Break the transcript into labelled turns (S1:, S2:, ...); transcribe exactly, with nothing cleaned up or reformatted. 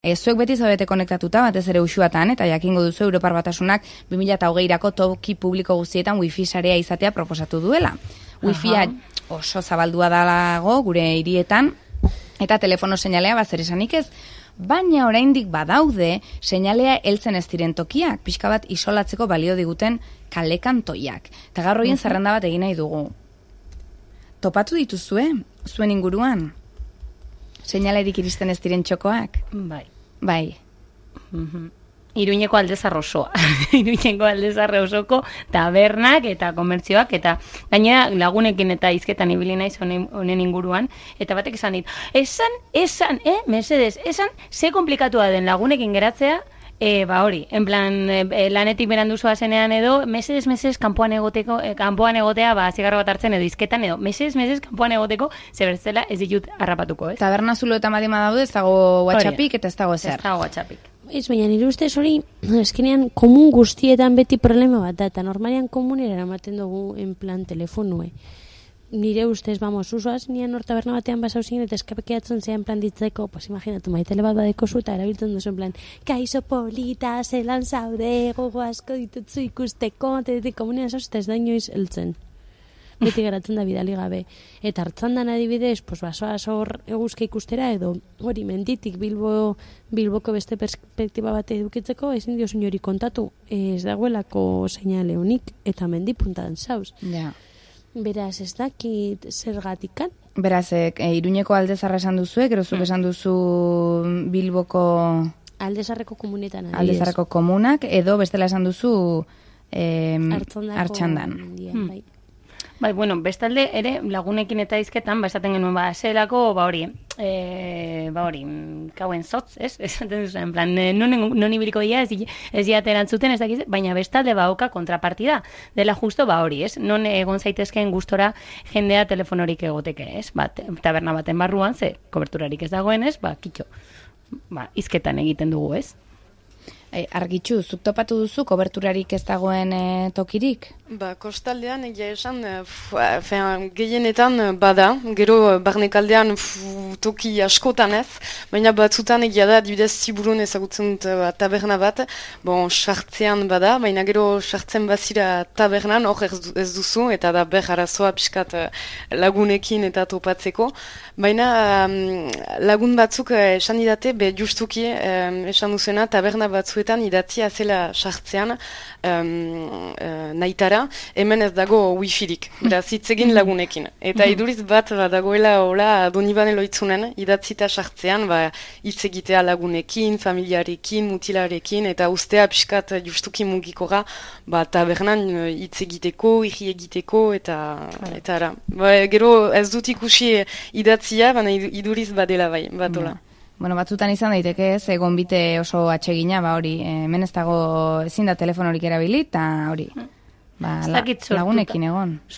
S1: E, zuek beti zaudete konektatuta, batez ere uxuatan, eta jakingo duzu Europar Batasunak bi mila hogeirako toki publiko guztietan wifi sarea izatea proposatu duela. Wifia oso zabaldua dago gure hirietan, eta telefono seinalea bazer esanik ez, baina oraindik badaude seinalea heltzen ez diren tokiak, pixka bat isolatzeko balio diguten kalekantoiak. Eta gaur horien zerrenda bat egin nahi dugu. Topatu dituzue, zuen inguruan? Seinalerik iristen ez diren txokoak?
S2: Bai.
S1: Bai.
S2: Mm-hmm. Iruñeko Aldezar osoa. Iruñeko Aldezar osoko tabernak eta komertzioak, eta gainera lagunekin eta hizketan ibili naiz honen, honen inguruan, eta batek esan dit, esan, esan, eh, mesedes, esan, ze komplikatua den lagunekin geratzea, E, ba hori, en plan, e, lanetik berandu zoazenean edo, mesedes, mesedes, kanpoan egoteko, e, kanpoan egotea, ba, zigarro bat hartzen edo izketan edo, mesedes, mesedes, kanpoan egoteko, zebertzela ez ditut harrapatuko, ez?
S1: Taberna zulo eta madima daude, ez dago WhatsAppik eta ez dago ezer.
S2: Ez dago WhatsAppik.
S3: Ez, baina nire ustez hori, eskenean, komun guztietan beti problema bat da, eta normalian komunera eramaten dugu, en plan, telefonue. Nire ustez, vamos, usoaz, nian hor taberna batean basau zinen, eta eskapekeatzen zean plan ditzeko, pues imaginatu, maitele bat badeko zu, eta erabiltzen duzu, en plan, kaixo polita, zelan zaude, gogo asko ditutzu ikusteko, eta ditik komunean zauz, eta ez da inoiz heltzen. Beti geratzen da bidali gabe. Eta hartzan dan adibidez, pues basoa hor eguzka ikustera, edo hori menditik Bilbo, Bilboko beste perspektiba bat edukitzeko, ezin diozun hori kontatu, ez dagoelako seinale honik, eta mendi puntan zauz.
S1: Ja.
S3: Beraz, ez dakit zergatikan.
S1: Beraz, e, Iruñeko Aldezarra esan duzu, gero zuk esan duzu Bilboko...
S3: Aldezarreko komunetan. Adibidez.
S1: Aldezarreko komunak, edo bestela esan duzu eh, Artxandan.
S3: Hmm. Bai.
S2: Bai, bueno, bestalde ere lagunekin eta hizketan, ba, esaten genuen, ba, zelako, ba, hori, e, ba, hori, kauen zotz, ez? Esaten duzu, en plan, non, non ibiliko dira, ez, ez diate erantzuten, ez dakiz, baina bestalde bauka kontrapartida, dela justo, ba, hori, ez? Non egon zaitezkeen gustora jendea telefonorik egoteke, ez? Ba, taberna baten barruan, ze, koberturarik ez dagoen, ez? Ba, kitxo, ba, hizketan egiten dugu, ez?
S1: E, argitxu, zuk topatu duzu koberturarik ez dagoen e, tokirik?
S4: Ba, kostaldean egia esan, fean, gehienetan bada, gero barnekaldean pf, toki askotan ez, baina batzutan egia da, dibidez Ziburun ezagutzen dut ba, taberna bat, bon, sartzean bada, baina gero sartzen bazira tabernan, hor ez, ez duzu, eta da ber arazoa pixkat lagunekin eta topatzeko, baina um, lagun batzuk esan didate, be justuki um, esan duzena, taberna batzuetan idatzia zela sartzean um, uh, naitara, hemen ez dago wifirik, beraz hitz egin lagunekin. Eta iduriz bat ba, dagoela hola Donibane loitzunen, idatzita sartzean, ba, hitz egitea lagunekin, familiarekin, mutilarekin, eta ustea pixkat justuki mugikora, ba, tabernan hitz egiteko, irri egiteko, eta, eta ara. Ba, gero ez dut ikusi idatzia, baina iduriz badela bai, batola.
S1: Ja. Bueno, batzutan izan daiteke ez, egon bite oso atsegina, ba hori, hemen ez dago ezin da telefonorik erabili, eta hori, ba, la, lagunekin egon.